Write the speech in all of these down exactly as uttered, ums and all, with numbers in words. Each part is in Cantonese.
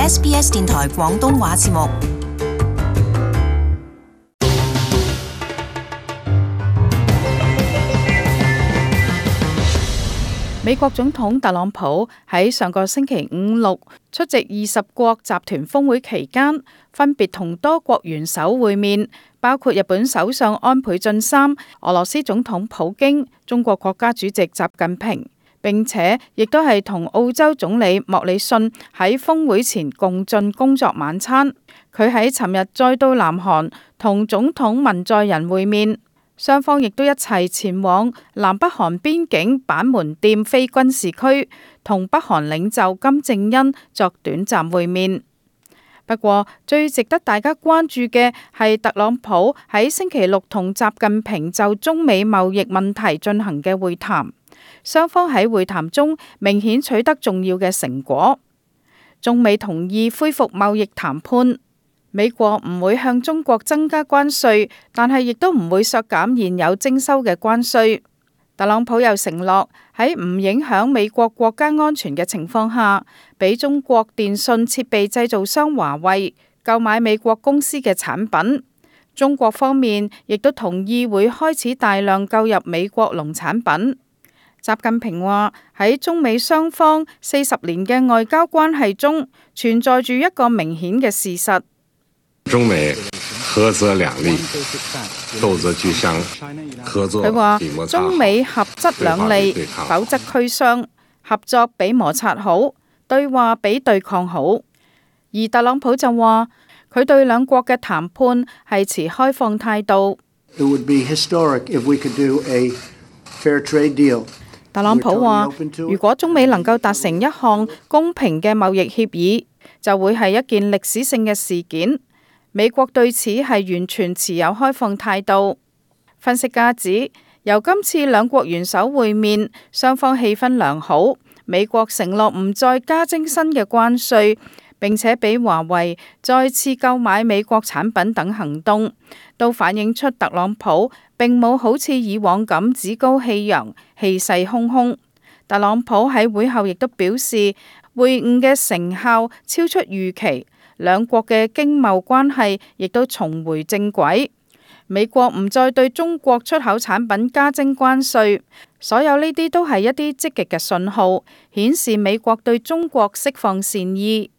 S B S 電台廣東話節目。美國總統特朗普喺上個星期五六出席二十國集團峰會期間，分別同多國元首會面，包括日本首相安倍晉三、俄羅斯總統普京、中國國家主席習近平，並且亦都係同澳洲總理莫里遜喺峰會前共進工作晚餐。佢喺尋日再到南韓同總統文在寅會面。雙方亦都一齊前往南北韓邊境板門店非軍事區，同北韓領袖金正恩作短暫會面。不過，最值得大家關注嘅係特朗普喺星期六同習近平就中美貿易問題進行嘅會談。雙方喺會談中明顯取得重要嘅成果，中美同意恢復貿易談判。美國唔會向中國增加關稅，但係亦都唔會削減現有徵收嘅關稅。特朗普又承諾喺唔影響美國國家安全嘅情況下，俾中國電信設備製造商華為購買美國公司嘅產品。中國方面亦都同意會開始大量購入美國農產品。習近平話喺中美雙方四十年嘅外交關係中，存在住一個明顯嘅事實。中美合則兩利，鬥則俱傷。合作佢話比摩擦好，中美合則兩利，否則俱傷。合作比摩擦好，對話比對抗好。而特朗普就話佢對兩國嘅談判係持開放態度。It would be historic if we could do a fair trade deal. 特朗普話如果中美能夠達成一項公平嘅貿易協議，就會係一件歷史性嘅事件。美國對此係完全持有開放態度。分析家指，由今次兩國元首會面，雙方氣氛良好。美國承諾唔再加徵新嘅關稅，並且俾華為再次購買美國產品等行動，都反映出特朗普並冇好似以往咁趾高氣揚、氣勢洶洶。特朗普喺會後亦都表示，會晤嘅成效超出預期。兩國嘅經貿關係亦都重回正軌，美國唔再對中國出口產品加徵關稅，所有呢啲都係一啲積極嘅信號，顯示美國對中國釋放善意。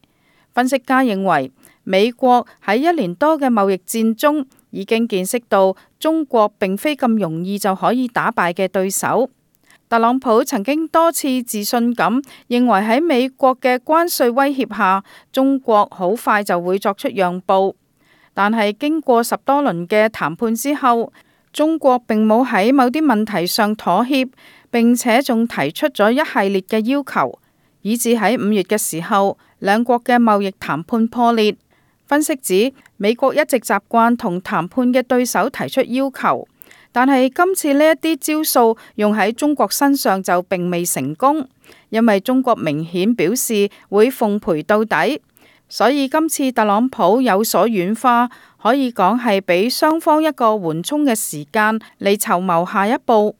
分析家認為，美國喺一年多嘅貿易戰中已經見識到中國並非咁容易就可以打敗嘅對手。特朗普曾經多次自信咁認為喺美國嘅關稅威脅下，中國好快就會作出讓步。但係經過十多輪嘅談判之後，中國並冇喺某啲問題上妥協，並且仲提出咗一系列嘅要求，以至喺五月嘅時候，兩國嘅貿易談判破裂。分析指，美國一直習慣同談判嘅對手提出要求。但係今次呢一啲招數用喺中國身上就並未成功，因為中國明顯表示會奉陪到底，所以今次特朗普有所軟化，可以講係俾雙方一個緩衝嘅時間嚟籌謀下一步。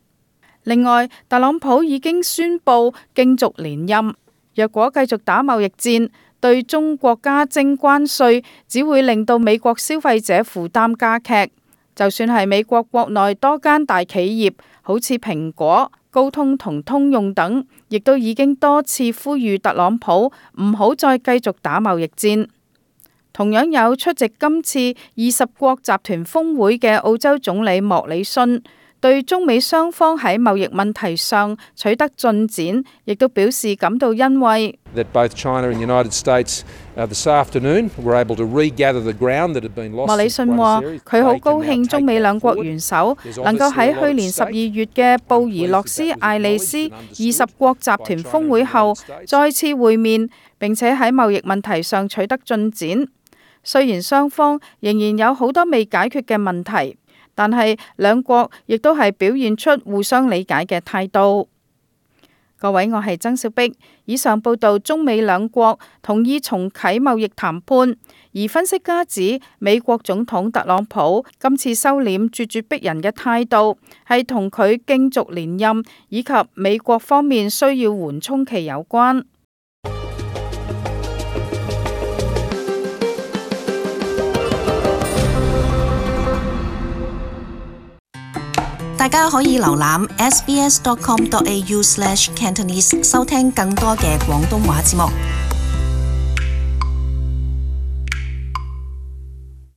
另外，特朗普已經宣布競逐連任，若果繼續打貿易戰，對中國加徵關稅，只會令到美國消費者負擔加劇。就算係美國國內多間大企業，好似蘋果、高通同通用等，亦都已經多次呼籲特朗普唔好再繼續打貿易戰。同樣有出席今次二十國集團峰會嘅澳洲總理莫里遜，對中美雙方喺貿易問題上取得進展，亦都表示感到欣慰。That both China and United States this afternoon were able to regather the ground that had been lost. 莫里遜話：佢好高興中美兩國元首能夠喺去年十二月嘅布宜諾斯艾利斯二十國集團峰會後再次會面，並且喺貿易問題上取得進展。雖然雙方仍然有好多未解決嘅問題，但係兩國亦都係表現出互相理解嘅態度。各位，我係曾小碧。以上報道中美兩國同意重啟貿易談判，而分析家指美國總統特朗普今次收斂咄咄逼人嘅態度，係同佢競逐連任以及美國方面需要緩衝期有關。大家可以瀏覽 s b s dot com dot a u slash cantonese 收聽更多嘅廣東話節目。